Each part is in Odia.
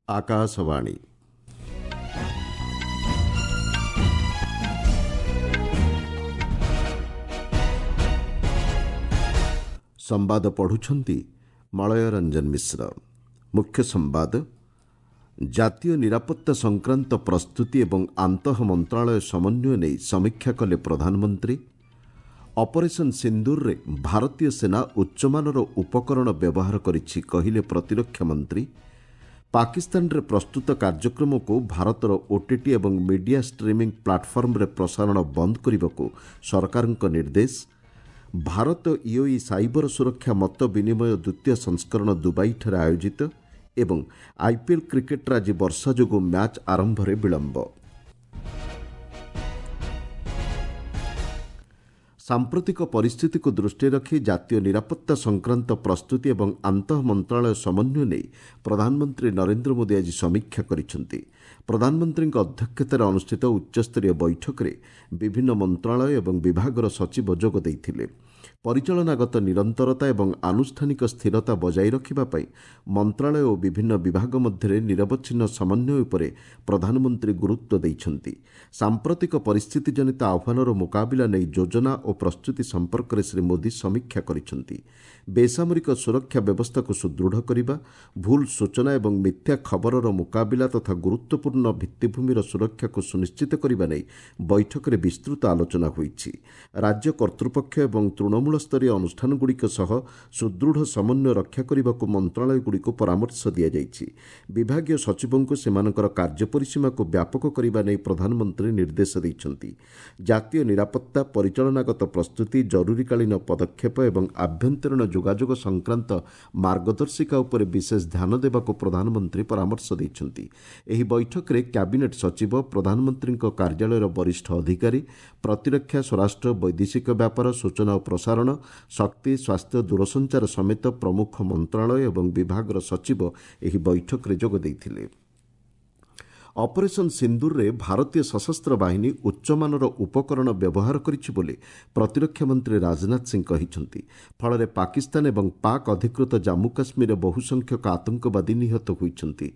ଆକାଶବାଣୀ। ସମ୍ବାଦ ପଢ଼ୁଛନ୍ତି ମଳୟ ରଞ୍ଜନ ମିଶ୍ର। ମୁଖ୍ୟ ସମ୍ବାଦ। ଜାତୀୟ ନିରାପତ୍ତା ସଂକ୍ରାନ୍ତ ପ୍ରସ୍ତୁତି ଏବଂ ଆନ୍ତଃ ମନ୍ତ୍ରଣାଳୟ ସମନ୍ୱୟ ନେଇ ସମୀକ୍ଷା କଲେ ପ୍ରଧାନମନ୍ତ୍ରୀ। ଅପରେସନ୍ ସିନ୍ଦୁରରେ ଭାରତୀୟ ସେନା ଉଚ୍ଚମାନର ଉପକରଣ ବ୍ୟବହାର କରିଛି, କହିଲେ ପ୍ରତିରକ୍ଷା ମନ୍ତ୍ରୀ। ପାକିସ୍ତାନରେ ପ୍ରସ୍ତୁତ କାର୍ଯ୍ୟକ୍ରମକୁ ଭାରତର ଓଟିଟି ଏବଂ ମିଡିଆ ଷ୍ଟ୍ରିମିଂ ପ୍ଲାଟଫର୍ମରେ ପ୍ରସାରଣ ବନ୍ଦ କରିବାକୁ ସରକାରଙ୍କ ନିର୍ଦ୍ଦେଶ। ଭାରତ ୟୁଏଇ ସାଇବର ସୁରକ୍ଷା ମତ ବିନିମୟ ଦ୍ୱିତୀୟ ସଂସ୍କରଣ ଦୁବାଇଠାରେ ଆୟୋଜିତ। ଏବଂ ଆଇପିଏଲ୍ କ୍ରିକେଟ୍ରେ ଆଜି ବର୍ଷା ଯୋଗୁଁ ମ୍ୟାଚ୍ ଆରମ୍ଭରେ ବିଳମ୍ବ। ସାମ୍ପ୍ରତିକ ପରିସ୍ଥିତିକୁ ଦୃଷ୍ଟିରେ ରଖି ଜାତୀୟ ନିରାପତ୍ତା ସଂକ୍ରାନ୍ତ ପ୍ରସ୍ତୁତି ଏବଂ ଆନ୍ତଃ ମନ୍ତ୍ରଣାଳୟ ସମନ୍ୱୟ ନେଇ ପ୍ରଧାନମନ୍ତ୍ରୀ ନରେନ୍ଦ୍ର ମୋଦି ଆଜି ସମୀକ୍ଷା କରିଛନ୍ତି। ପ୍ରଧାନମନ୍ତ୍ରୀଙ୍କ ଅଧ୍ୟକ୍ଷତାରେ ଅନୁଷ୍ଠିତ ଉଚ୍ଚସ୍ତରୀୟ ବୈଠକରେ ବିଭିନ୍ନ ମନ୍ତ୍ରଣାଳୟ ଏବଂ ବିଭାଗର ସଚିବ ଯୋଗ ଦେଇଥିଲେ। ପରିଚାଳନାଗତ ନିରନ୍ତରତା ଏବଂ ଆନୁଷ୍ଠାନିକ ସ୍ଥିରତା ବଜାୟ ରଖିବା ପାଇଁ ମନ୍ତ୍ରଣାଳୟ ଓ ବିଭିନ୍ନ ବିଭାଗ ମଧ୍ୟରେ ନିରବଚ୍ଛିନ୍ନ ସମନ୍ୱୟ ଉପରେ ପ୍ରଧାନମନ୍ତ୍ରୀ ଗୁରୁତ୍ୱ ଦେଇଛନ୍ତି। ସାମ୍ପ୍ରତିକ ପରିସ୍ଥିତିଜନିତ ଆହ୍ୱାନର ମୁକାବିଲା ନେଇ ଯୋଜନା ଓ ପ୍ରସ୍ତୁତି ସମ୍ପର୍କରେ ଶ୍ରୀ ମୋଦି ସମୀକ୍ଷା କରିଛନ୍ତି। ବେସାମରିକ ସୁରକ୍ଷା ବ୍ୟବସ୍ଥାକୁ ସୁଦୃଢ଼ କରିବା, ଭୁଲ ସୂଚନା ଏବଂ ମିଥ୍ୟା ଖବରର ମୁକାବିଲା ତଥା ଗୁରୁତ୍ୱପୂର୍ଣ୍ଣ ଭିତ୍ତିଭୂମିର ସୁରକ୍ଷାକୁ ସୁନିଶ୍ଚିତ କରିବା ନେଇ ବୈଠକରେ ବିସ୍ତୃତ ଆଲୋଚନା ହୋଇଛି। ରାଜ୍ୟ କର୍ତ୍ତୃପକ୍ଷ ଏବଂ ତୃଣମୂଳ ସ୍ତରୀୟ ଅନୁଷ୍ଠାନଗୁଡ଼ିକ ସହ ସୁଦୃଢ଼ ସମନ୍ୱୟ ରକ୍ଷା କରିବାକୁ ମନ୍ତ୍ରଣାଳୟଗୁଡ଼ିକୁ ପରାମର୍ଶ ଦିଆଯାଇଛି। ବିଭାଗୀୟ ସଚିବଙ୍କୁ ସେମାନଙ୍କର କାର୍ଯ୍ୟ ପରିସୀମାକୁ ବ୍ୟାପକ କରିବା ନେଇ ପ୍ରଧାନମନ୍ତ୍ରୀ ନିର୍ଦ୍ଦେଶ ଦେଇଛନ୍ତି। ଜାତୀୟ ନିରାପତ୍ତା, ପରିଚାଳନାଗତ ପ୍ରସ୍ତୁତି, ଜରୁରୀକାଳୀନ ପଦକ୍ଷେପ ଏବଂ ଆଭ୍ୟନ୍ତରୀଣ ଯୋଗାଯୋଗ ସଂକ୍ରାନ୍ତ ମାର୍ଗଦର୍ଶିକା ଉପରେ ବିଶେଷ ଧ୍ୟାନ ଦେବାକୁ ପ୍ରଧାନମନ୍ତ୍ରୀ ପରାମର୍ଶ ଦେଇଛନ୍ତି। ଏହି ବୈଠକରେ କ୍ୟାବିନେଟ୍ ସଚିବ, ପ୍ରଧାନମନ୍ତ୍ରୀଙ୍କ କାର୍ଯ୍ୟାଳୟର ବରିଷ୍ଠ ଅଧିକାରୀ, ପ୍ରତିରକ୍ଷା, ସ୍ୱରାଷ୍ଟ୍ର, ବୈଦେଶିକ ବ୍ୟାପାର, ସୂଚନା ଓ ପ୍ରସାରଣ, ଶକ୍ତି, ସ୍ୱାସ୍ଥ୍ୟ, ଦୂରସଞ୍ଚାର ସମେତ ପ୍ରମୁଖ ମନ୍ତ୍ରଣାଳୟ ଏବଂ ବିଭାଗର ସଚିବ ଏହି ବୈଠକରେ ଯୋଗ ଦେଇଥିଲେ। ଅପରେସନ୍ ସିନ୍ଦୁରରେ ଭାରତୀୟ ସଶସ୍ତ୍ର ବାହିନୀ ଉଚ୍ଚମାନର ଉପକରଣ ବ୍ୟବହାର କରିଛି ବୋଲି ପ୍ରତିରକ୍ଷା ମନ୍ତ୍ରୀ ରାଜନାଥ ସିଂ କହିଛନ୍ତି। ଫଳରେ ପାକିସ୍ତାନ ଏବଂ ପାକ୍ ଅଧିକୃତ ଜାମ୍ମୁ କାଶ୍ମୀରରେ ବହୁ ସଂଖ୍ୟକ ଆତଙ୍କବାଦୀ ନିହତ ହୋଇଛନ୍ତି।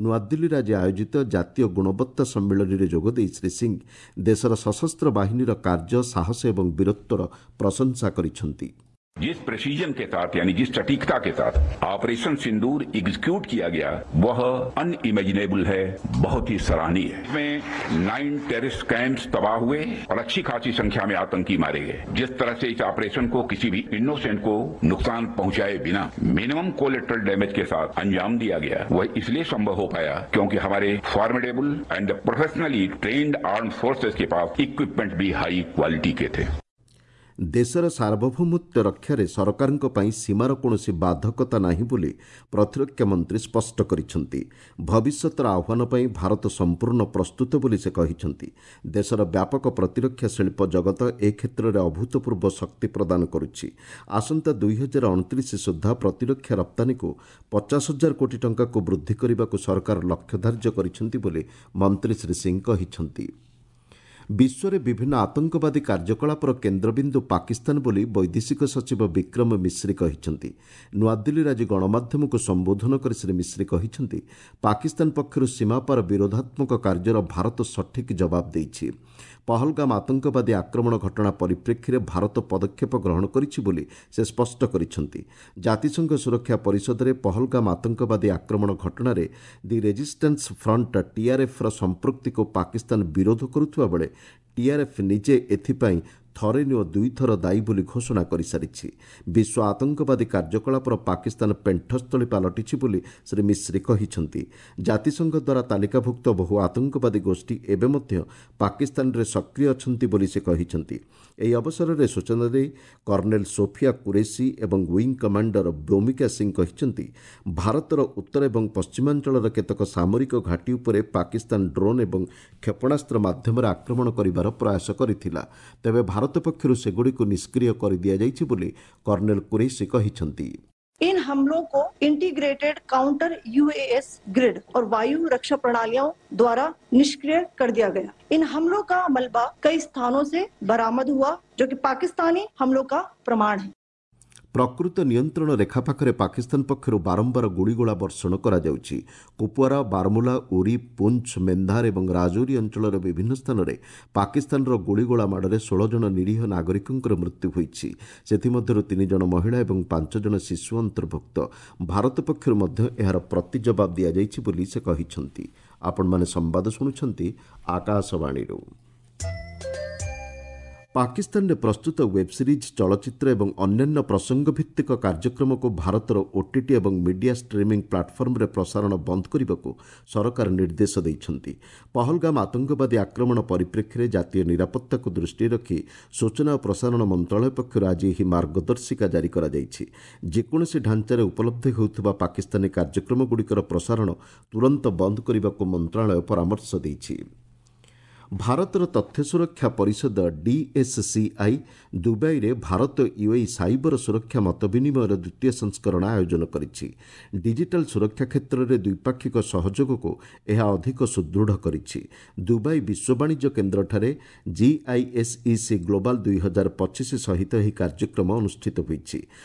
ନୂଆଦିଲ୍ଲୀରେ ଆଜି ଆୟୋଜିତ ଜାତୀୟ ଗୁଣବତ୍ତା ସମ୍ମିଳନୀରେ ଯୋଗଦେଇ ଶ୍ରୀ ସିଂ ଦେଶର ସଶସ୍ତ୍ର ବାହିନୀର କାର୍ଯ୍ୟ, ସାହସ ଏବଂ ବୀରତ୍ୱର ପ୍ରଶଂସା କରିଛନ୍ତି। जिस प्रेसिजन के साथ, यानी जिस सटीकता के साथ ऑपरेशन सिंदूर एग्जीक्यूट किया गया, वह अनइमेजिनेबल है, बहुत ही सराहनीय है। इसमें 9 टेररिस्ट कैंप्स तबाह हुए और अच्छी खासी संख्या में आतंकी मारे गए। जिस तरह से इस ऑपरेशन को किसी भी इनोसेंट को नुकसान पहुंचाए बिना मिनिमम कोलेट्रल डैमेज के साथ अंजाम दिया गया, वह इसलिए संभव हो पाया क्योंकि हमारे formidable and professionally trained armed forces के पास इक्विपमेंट भी हाई क्वालिटी के थे। ଦେଶର ସାର୍ବଭୌମତ୍ୱ ରକ୍ଷାରେ ସରକାରଙ୍କ ପାଇଁ ସୀମାର କୌଣସି ବାଧକତା ନାହିଁ ବୋଲି ପ୍ରତିରକ୍ଷା ମନ୍ତ୍ରୀ ସ୍ପଷ୍ଟ କରିଛନ୍ତି। ଭବିଷ୍ୟତର ଆହ୍ୱାନ ପାଇଁ ଭାରତ ସମ୍ପୂର୍ଣ୍ଣ ପ୍ରସ୍ତୁତ ବୋଲି ସେ କହିଛନ୍ତି। ଦେଶର ବ୍ୟାପକ ପ୍ରତିରକ୍ଷା ଶିଳ୍ପ ଜଗତ ଏ କ୍ଷେତ୍ରରେ ଅଭୂତପୂର୍ବ ଶକ୍ତି ପ୍ରଦାନ କରୁଛି। ଆସନ୍ତା 2029 ସୁଦ୍ଧା ପ୍ରତିରକ୍ଷା ରପ୍ତାନୀକୁ 50 ହଜାର କୋଟି ଟଙ୍କାକୁ ବୃଦ୍ଧି କରିବାକୁ ସରକାର ଲକ୍ଷ୍ୟ ଧାର୍ଯ୍ୟ କରିଛନ୍ତି ବୋଲି ମନ୍ତ୍ରୀ ଶ୍ରୀ ସିଂ କହିଛନ୍ତି। ବିଶ୍ୱରେ ବିଭିନ୍ନ ଆତଙ୍କବାଦୀ କାର୍ଯ୍ୟକଳାପର କେନ୍ଦ୍ରବିନ୍ଦୁ ପାକିସ୍ତାନ ବୋଲି ବୈଦେଶିକ ସଚିବ ବିକ୍ରମ ମିଶ୍ରି କହିଛନ୍ତି। ନୂଆଦିଲ୍ଲୀରେ ଆଜି ଗଣମାଧ୍ୟମକୁ ସମ୍ବୋଧନ କରି ଶ୍ରୀ ମିଶ୍ରି କହିଛନ୍ତି, ପାକିସ୍ତାନ ପକ୍ଷରୁ ସୀମାପାର ବିରୋଧାତ୍ମକ କାର୍ଯ୍ୟର ଭାରତ ସଠିକ୍ ଜବାବ ଦେଇଛି। ପହଲଗାମ ଆତଙ୍କବାଦୀ ଆକ୍ରମଣ ଘଟଣା ପରିପ୍ରେକ୍ଷୀରେ ଭାରତ ପଦକ୍ଷେପ ଗ୍ରହଣ କରିଛି ବୋଲି ସେ ସ୍ପଷ୍ଟ କରିଛନ୍ତି। ଜାତିସଂଘ ସୁରକ୍ଷା ପରିଷଦରେ ପହଲଗାମ ଆତଙ୍କବାଦୀ ଆକ୍ରମଣ ଘଟଣାରେ ଦି ରେଜିଷ୍ଟାନ୍ସ ଫ୍ରଣ୍ଟ ଟିଆର୍ଏଫ୍ର ସମ୍ପୃକ୍ତିକୁ ପାକିସ୍ତାନ ବିରୋଧ କରୁଥିବା ବେଳେ ଟିଆର୍ଏଫ୍ ନିଜେ ଏଥିପାଇଁ ଥରେ ନୁହଁ ଦୁଇଥର ଦାୟୀ ବୋଲି ଘୋଷଣା କରିସାରିଛି। ବିଶ୍ୱ ଆତଙ୍କବାଦୀ କାର୍ଯ୍ୟକଳାପର ପାକିସ୍ତାନ ପେଣ୍ଠସ୍ଥଳୀ ପାଲଟିଛି ବୋଲି ଶ୍ରୀ ମିଶ୍ରି କହିଛନ୍ତି। ଜାତିସଂଘ ଦ୍ୱାରା ତାଲିକାଭୁକ୍ତ ବହୁ ଆତଙ୍କବାଦୀ ଗୋଷ୍ଠୀ ଏବେ ମଧ୍ୟ ପାକିସ୍ତାନରେ ସକ୍ରିୟ ଅଛନ୍ତି ବୋଲି ସେ କହିଛନ୍ତି। ଏହି ଅବସରରେ ସୂଚନା ଦେଇ କର୍ଣ୍ଣେଲ ସୋଫିଆ କୁରେସି ଏବଂ ୱିଙ୍ଗ କମାଣ୍ଡର ବ୍ୟୋମିକା ସିଂ କହିଛନ୍ତି, ଭାରତର ଉତ୍ତର ଏବଂ ପଶ୍ଚିମାଞ୍ଚଳର କେତେକ ସାମରିକ ଘାଟି ଉପରେ ପାକିସ୍ତାନ ଡ୍ରୋନ୍ ଏବଂ କ୍ଷେପଣାସ୍ତ୍ର ମାଧ୍ୟମରେ ଆକ୍ରମଣ କରିବାର ପ୍ରୟାସ କରିଥିଲା। ତେବେ ଭାରତ ପକ୍ଷରୁ ସେଗୁଡ଼ିକୁ ନିଷ୍କ୍ରିୟ କରିଦିଆଯାଇଛି ବୋଲି କର୍ଣ୍ଣେଲ କୁରେସି କହିଛନ୍ତି। इन हमलों को इंटीग्रेटेड काउंटर यूएएस ग्रिड और वायु रक्षा प्रणालियों द्वारा निष्क्रिय कर दिया गया। इन हमलों का मलबा कई स्थानों से बरामद हुआ, जो कि पाकिस्तानी हमलों का प्रमाण है। ପ୍ରକୃତ ନିୟନ୍ତ୍ରଣ ରେଖା ପାଖରେ ପାକିସ୍ତାନ ପକ୍ଷରୁ ବାରମ୍ବାର ଗୁଳିଗୋଳା ବର୍ଷଣ କରାଯାଉଛି। କୁପୱାରା, ବାରମୁଲା, ଉରି, ପୁଞ୍ଚ, ମେନ୍ଧାର ଏବଂ ରାଜୌରୀ ଅଞ୍ଚଳର ବିଭିନ୍ନ ସ୍ଥାନରେ ପାକିସ୍ତାନର ଗୁଳିଗୋଳା ମାଡ଼ରେ 16 ଜଣ ନିରୀହ ନାଗରିକଙ୍କର ମୃତ୍ୟୁ ହୋଇଛି। ସେଥିମଧ୍ୟରୁ 3 ଜଣ ମହିଳା ଏବଂ 5 ଜଣ ଶିଶୁ ଅନ୍ତର୍ଭୁକ୍ତ। ଭାରତ ପକ୍ଷରୁ ମଧ୍ୟ ଏହାର ପ୍ରତି ଜବାବ ଦିଆଯାଇଛି ବୋଲି ସେ କହିଛନ୍ତି। ଆପଣମାନେ ସମ୍ବାଦ ଶୁଣୁଛନ୍ତି ଆକାଶବାଣୀରୁ। ପାକିସ୍ତାନରେ ପ୍ରସ୍ତୁତ ୱେବ୍ ସିରିଜ୍, ଚଳଚ୍ଚିତ୍ର ଏବଂ ଅନ୍ୟାନ୍ୟ ପ୍ରସଙ୍ଗ ଭିତ୍ତିକ କାର୍ଯ୍ୟକ୍ରମକୁ ଭାରତର ଓଟିଟି ଏବଂ ମିଡିଆ ଷ୍ଟ୍ରିମିଂ ପ୍ଲାଟଫର୍ମରେ ପ୍ରସାରଣ ବନ୍ଦ କରିବାକୁ ସରକାର ନିର୍ଦ୍ଦେଶ ଦେଇଛନ୍ତି। ପହଲଗାମ ଆତଙ୍କବାଦୀ ଆକ୍ରମଣ ପରିପ୍ରେକ୍ଷୀରେ ଜାତୀୟ ନିରାପତ୍ତାକୁ ଦୃଷ୍ଟିରେ ରଖି ସୂଚନା ଓ ପ୍ରସାରଣ ମନ୍ତ୍ରଣାଳୟ ପକ୍ଷରୁ ଆଜି ଏହି ମାର୍ଗଦର୍ଶିକା ଜାରି କରାଯାଇଛି। ଯେକୌଣସି ଢାଞ୍ଚାରେ ଉପଲବ୍ଧ ହେଉଥିବା ପାକିସ୍ତାନୀ କାର୍ଯ୍ୟକ୍ରମଗୁଡ଼ିକର ପ୍ରସାରଣ ତୁରନ୍ତ ବନ୍ଦ କରିବାକୁ ମନ୍ତ୍ରଣାଳୟ ପରାମର୍ଶ ଦେଇଛି। ଭାରତର ତଥ୍ୟ ସୁରକ୍ଷା ପରିଷଦ ଡିଏସ୍ସିଆଇ ଦୁବାଇରେ ଭାରତ ୟୁଏଇ ସାଇବର ସୁରକ୍ଷା ମତ ବିନିମୟର ଦ୍ୱିତୀୟ ସଂସ୍କରଣ ଆୟୋଜନ କରିଛି। ଡିଜିଟାଲ ସୁରକ୍ଷା କ୍ଷେତ୍ରରେ ଦ୍ୱିପାକ୍ଷିକ ସହଯୋଗକୁ ଏହା ଅଧିକ ସୁଦୃଢ଼ କରିଛି। ଦୁବାଇ ବିଶ୍ୱ ବାଣିଜ୍ୟ କେନ୍ଦ୍ରଠାରେ ଜିଆଇଏସ୍ଇସି ଗ୍ଲୋବାଲ 2025 ସହିତ ଏହି କାର୍ଯ୍ୟକ୍ରମ ଅନୁଷ୍ଠିତ ହୋଇଛି।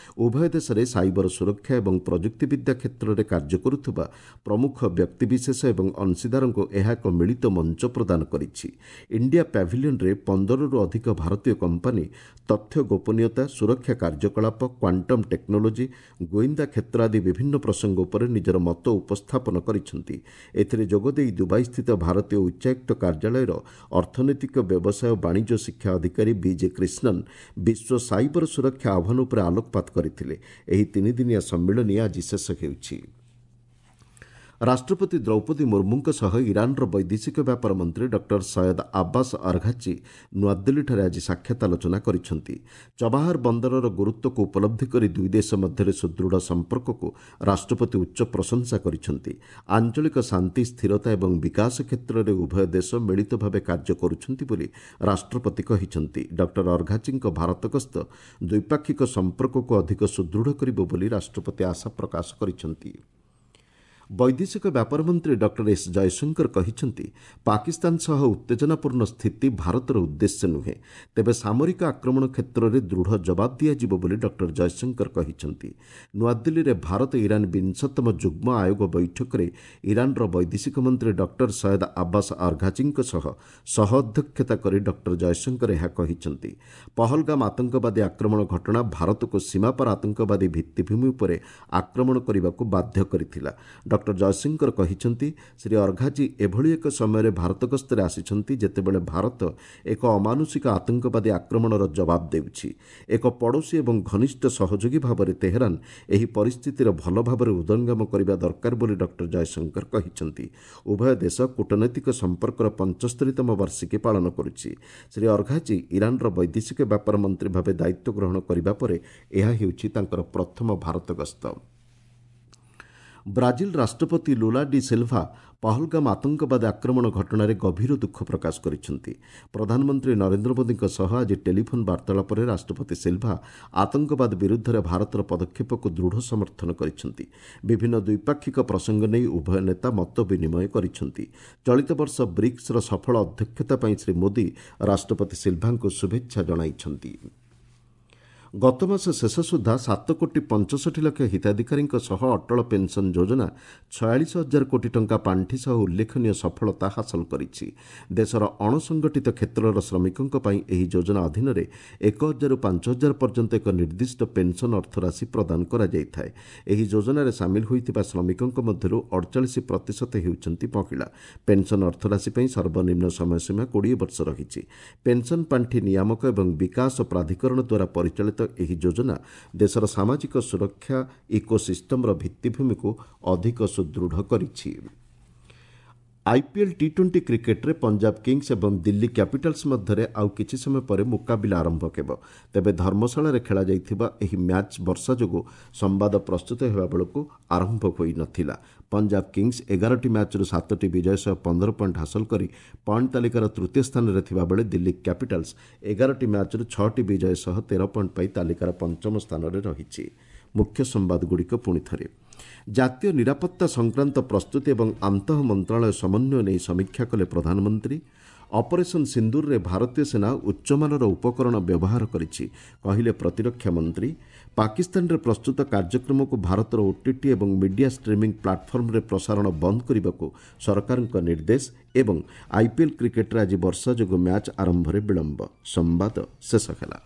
ଉଭୟ ଦେଶରେ ସାଇବର ସୁରକ୍ଷା ଏବଂ ପ୍ରଯୁକ୍ତିବିଦ୍ୟା କ୍ଷେତ୍ରରେ କାର୍ଯ୍ୟ କରୁଥିବା ପ୍ରମୁଖ ବ୍ୟକ୍ତିବିଶେଷ ଏବଂ ଅଂଶୀଦାରଙ୍କୁ ଏହା ଏକ ମିଳିତ ମଞ୍ଚ ପ୍ରଦାନ କରିଛି। ଇଣ୍ଡିଆ ପ୍ୟାଭିଲିୟନରେ 15ରୁ ଅଧିକ ଭାରତୀୟ କମ୍ପାନୀ ତଥ୍ୟ ଗୋପନୀୟତା, ସୁରକ୍ଷା କାର୍ଯ୍ୟକଳାପ, କ୍ୱାଣ୍ଟମ୍ ଟେକ୍ନୋଲୋଜି, ଗୋଇନ୍ଦା କ୍ଷେତ୍ର ଆଦି ବିଭିନ୍ନ ପ୍ରସଙ୍ଗ ଉପରେ ନିଜର ମତ ଉପସ୍ଥାପନ କରିଛନ୍ତି। ଏଥିରେ ଯୋଗଦେଇ ଦୁବାଇସ୍ଥିତ ଭାରତୀୟ ଉଚ୍ଚାୟୁକ୍ତ କାର୍ଯ୍ୟାଳୟର ଅର୍ଥନୈତିକ ବ୍ୟବସାୟ ବାଣିଜ୍ୟ ଶିକ୍ଷା ଅଧିକାରୀ ବିଜେ କ୍ରିଷ୍ଣନ୍ ବିଶ୍ୱ ସାଇବର ସୁରକ୍ଷା ଆହ୍ୱାନ ଉପରେ ଆଲୋକପାତ କରିଥିଲେ। ଏହି ତିନିଦିନିଆ ସମ୍ମିଳନୀ ଆଜି ଶେଷ ହେଉଛି। ରାଷ୍ଟ୍ରପତି ଦ୍ରୌପଦୀ ମୁର୍ମୁଙ୍କ ସହ ଇରାନର ବୈଦେଶିକ ବ୍ୟାପାର ମନ୍ତ୍ରୀ ଡକ୍ଟର ସୟଦ ଆବ୍ବାସ ଅର୍ଘାଚି ନୂଆଦିଲ୍ଲୀଠାରେ ଆଜି ସାକ୍ଷାତ ଆଲୋଚନା କରିଛନ୍ତି। ଚବାହାର ବନ୍ଦରର ଗୁରୁତ୍ୱକୁ ଉପଲବ୍ଧି କରି ଦୁଇ ଦେଶ ମଧ୍ୟରେ ସୁଦୃଢ଼ ସମ୍ପର୍କକୁ ରାଷ୍ଟ୍ରପତି ଉଚ୍ଚ ପ୍ରଶଂସା କରିଛନ୍ତି। ଆଞ୍ଚଳିକ ଶାନ୍ତି, ସ୍ଥିରତା ଏବଂ ବିକାଶ କ୍ଷେତ୍ରରେ ଉଭୟ ଦେଶ ମିଳିତ ଭାବେ କାର୍ଯ୍ୟ କରୁଛନ୍ତି ବୋଲି ରାଷ୍ଟ୍ରପତି କହିଛନ୍ତି। ଡକ୍ଟର ଅର୍ଘାଚିଙ୍କ ଭାରତ ଗସ୍ତ ଦ୍ୱିପାକ୍ଷିକ ସମ୍ପର୍କକୁ ଅଧିକ ସୁଦୃଢ଼ କରିବ ବୋଲି ରାଷ୍ଟ୍ରପତି ଆଶା ପ୍ରକାଶ କରିଛନ୍ତି। ବୈଦେଶିକ ବ୍ୟାପାର ମନ୍ତ୍ରୀ ଡକ୍ଟର ଏସ୍ ଜୟଶଙ୍କର କହିଛନ୍ତି, ପାକିସ୍ତାନ ସହ ଉତ୍ତେଜନାପୂର୍ଣ୍ଣ ସ୍ଥିତି ଭାରତର ଉଦ୍ଦେଶ୍ୟ ନୁହେଁ। ତେବେ ସାମରିକ ଆକ୍ରମଣ କ୍ଷେତ୍ରରେ ଦୃଢ଼ ଜବାବ ଦିଆଯିବ ବୋଲି ଡକ୍ଟର ଜୟଶଙ୍କର କହିଛନ୍ତି। ନୂଆଦିଲ୍ଲୀରେ ଭାରତ ଇରାନ 20ତମ ଯୁଗ୍ମ ଆୟୋଗ ବୈଠକରେ ଇରାନର ବୈଦେଶିକ ମନ୍ତ୍ରୀ ଡକ୍ଟର ସୟଦ ଆବ୍ବାସ ଅର୍ଘାଚିଙ୍କ ସହ ସହ ଅଧ୍ୟକ୍ଷତା କରି ଡକ୍ଟର ଜୟଶଙ୍କର ଏହା କହିଛନ୍ତି। ପହଲଗାମ ଆତଙ୍କବାଦୀ ଆକ୍ରମଣ ଘଟଣା ଭାରତକୁ ସୀମାପାର ଆତଙ୍କବାଦୀ ଭିତ୍ତିଭୂମି ଉପରେ ଆକ୍ରମଣ କରିବାକୁ ବାଧ୍ୟ କରିଥିଲା। ଡକ୍ଟର ଜୟଶଙ୍କର କହିଛନ୍ତି, ଶ୍ରୀ ଅର୍ଘାଜୀ ଏଭଳି ଏକ ସମୟରେ ଭାରତ ଗସ୍ତରେ ଆସିଛନ୍ତି ଯେତେବେଳେ ଭାରତ ଏକ ଅମାନୁଷିକ ଆତଙ୍କବାଦୀ ଆକ୍ରମଣର ଜବାବ ଦେଉଛି। ଏକ ପଡ଼ୋଶୀ ଏବଂ ଘନିଷ୍ଠ ସହଯୋଗୀ ଭାବରେ ତେହେରାନ ଏହି ପରିସ୍ଥିତିର ଭଲ ଭାବରେ ହୃଦୟଙ୍ଗମ କରିବା ଦରକାର ବୋଲି ଡକ୍ଟର ଜୟଶଙ୍କର କହିଛନ୍ତି। ଉଭୟ ଦେଶ କୂଟନୈତିକ ସମ୍ପର୍କର 75ତମ ବାର୍ଷିକୀ ପାଳନ କରୁଛି। ଶ୍ରୀ ଅର୍ଘାଜୀ ଇରାନର ବୈଦେଶିକ ବ୍ୟାପାର ମନ୍ତ୍ରୀ ଭାବେ ଦାୟିତ୍ୱ ଗ୍ରହଣ କରିବା ପରେ ଏହା ହେଉଛି ତାଙ୍କର ପ୍ରଥମ ଭାରତ ଗସ୍ତ। ବ୍ରାଜିଲ ରାଷ୍ଟ୍ରପତି ଲୁଲା ଡି ସିଲ୍ଭା ପହଲଗାମ ଆତଙ୍କବାଦୀ ଆକ୍ରମଣ ଘଟଣାରେ ଗଭୀର ଦୁଃଖ ପ୍ରକାଶ କରିଛନ୍ତି। ପ୍ରଧାନମନ୍ତ୍ରୀ ନରେନ୍ଦ୍ର ମୋଦିଙ୍କ ସହ ଆଜି ଟେଲିଫୋନ୍ ବାର୍ତ୍ତାଳାପରେ ରାଷ୍ଟ୍ରପତି ସିଲ୍ଭା ଆତଙ୍କବାଦ ବିରୁଦ୍ଧରେ ଭାରତର ପଦକ୍ଷେପକୁ ଦୃଢ଼ ସମର୍ଥନ କରିଛନ୍ତି। ବିଭିନ୍ନ ଦ୍ୱିପାକ୍ଷିକ ପ୍ରସଙ୍ଗ ନେଇ ଉଭୟ ନେତା ମତ ବିନିମୟ କରିଛନ୍ତି। ଚଳିତ ବର୍ଷ ବ୍ରିକ୍ସର ସଫଳ ଅଧ୍ୟକ୍ଷତା ପାଇଁ ଶ୍ରୀ ମୋଦି ରାଷ୍ଟ୍ରପତି ସିଲ୍ଭାଙ୍କୁ ଶୁଭେଚ୍ଛା ଜଣାଇଛନ୍ତି। ଗତମାସ ଶେଷ ସୁଦ୍ଧା 7 କୋଟି 65 ଲକ୍ଷ ହିତାଧିକାରୀଙ୍କ ସହ ଅଟଳ ପେନ୍ସନ୍ ଯୋଜନା 46 ହଜାର କୋଟି ଟଙ୍କା ପାଣ୍ଠି ସହ ଉଲ୍ଲେଖନୀୟ ସଫଳତା ହାସଲ କରିଛି। ଦେଶର ଅଣସଂଗଠିତ କ୍ଷେତ୍ରର ଶ୍ରମିକଙ୍କ ପାଇଁ ଏହି ଯୋଜନା ଅଧୀନରେ 1 ହଜାରରୁ 5 ହଜାର ପର୍ଯ୍ୟନ୍ତ ଏକ ନିର୍ଦ୍ଦିଷ୍ଟ ପେନ୍ସନ୍ ଅର୍ଥରାଶି ପ୍ରଦାନ କରାଯାଇଥାଏ। ଏହି ଯୋଜନାରେ ସାମିଲ ହୋଇଥିବା ଶ୍ରମିକଙ୍କ ମଧ୍ୟରୁ 48% ହେଉଛନ୍ତି ମହିଳା। ପେନ୍ସନ୍ ଅର୍ଥରାଶି ପାଇଁ ସର୍ବନିମ୍ନ ସମୟସୀମା 20 ବର୍ଷ ରହିଛି। ପେନ୍ସନ୍ ପାଣ୍ଠି ନିୟାମକ ଏବଂ ବିକାଶ ପ୍ରାଧିକରଣ ଦ୍ୱାରା ପରିଚାଳିତ ଏହି ଯୋଜନା ଦେଶର ସାମାଜିକ ସୁରକ୍ଷା ଇକୋସିଷ୍ଟମର ଭିତ୍ତିଭୂମିକୁ ଅଧିକ ସୁଦୃଢ଼ କରିଛି। ଆଇପିଏଲ୍ ଟି ଟ୍ୱେଣ୍ଟି କ୍ରିକେଟ୍ରେ ପଞ୍ଜାବ କିଙ୍ଗସ୍ ଏବଂ ଦିଲ୍ଲୀ କ୍ୟାପିଟାଲ୍ସ ମଧ୍ୟରେ ଆଉ କିଛି ସମୟ ପରେ ମୁକାବିଲା ଆରମ୍ଭ ହେବ। ତେବେ ଧର୍ମଶାଳାରେ ଖେଳାଯାଇଥିବା ଏହି ମ୍ୟାଚ୍ ବର୍ଷା ଯୋଗୁଁ ସମ୍ବାଦ ପ୍ରସ୍ତୁତ ହେବା ବେଳକୁ ଆରମ୍ଭ ହୋଇନଥିଲା। ପଞ୍ଜାବ କିଙ୍ଗସ୍ 11ଟି ମ୍ୟାଚ୍ରୁ 7ଟି ବିଜୟ ସହ 15 ପଏଣ୍ଟ ହାସଲ କରି ପଏଣ୍ଟ ତାଲିକାର ତୃତୀୟ ସ୍ଥାନରେ ଥିବାବେଳେ ଦିଲ୍ଲୀ କ୍ୟାପିଟାଲ୍ସ 11ଟି ମ୍ୟାଚ୍ରୁ 6ଟି ବିଜୟ ସହ 13 ପଏଣ୍ଟ ପାଇ ତାଲିକାର ପଞ୍ଚମ ସ୍ଥାନରେ ରହିଛି। ମୁଖ୍ୟ ସମ୍ବାଦଗୁଡ଼ିକ ପୁଣି ଥରେ। ଜାତୀୟ ନିରାପତ୍ତା ସଂକ୍ରାନ୍ତ ପ୍ରସ୍ତୁତି ଏବଂ ଆନ୍ତଃ ମନ୍ତ୍ରଣାଳୟ ସମନ୍ୱୟ ନେଇ ସମୀକ୍ଷା କଲେ ପ୍ରଧାନମନ୍ତ୍ରୀ। ଅପରେସନ୍ ସିନ୍ଦୁରରେ ଭାରତୀୟ ସେନା ଉଚ୍ଚମାନର ଉପକରଣ ବ୍ୟବହାର କରିଛି, କହିଲେ ପ୍ରତିରକ୍ଷା ମନ୍ତ୍ରୀ। ପାକିସ୍ତାନରେ ପ୍ରସ୍ତୁତ କାର୍ଯ୍ୟକ୍ରମକୁ ଭାରତର ଓଟିଟି ଏବଂ ମିଡିଆ ଷ୍ଟ୍ରିମିଂ ପ୍ଲାଟଫର୍ମରେ ପ୍ରସାରଣ ବନ୍ଦ କରିବାକୁ ସରକାରଙ୍କ ନିର୍ଦ୍ଦେଶ ଏବଂ ଆଇପିଏଲ୍ କ୍ରିକେଟ୍ରେ ଆଜି ବର୍ଷା ଯୋଗୁଁ ମ୍ୟାଚ୍ ଆରମ୍ଭରେ ବିଳମ୍ବ। ସମ୍ବାଦ ଶେଷ ହେଲା।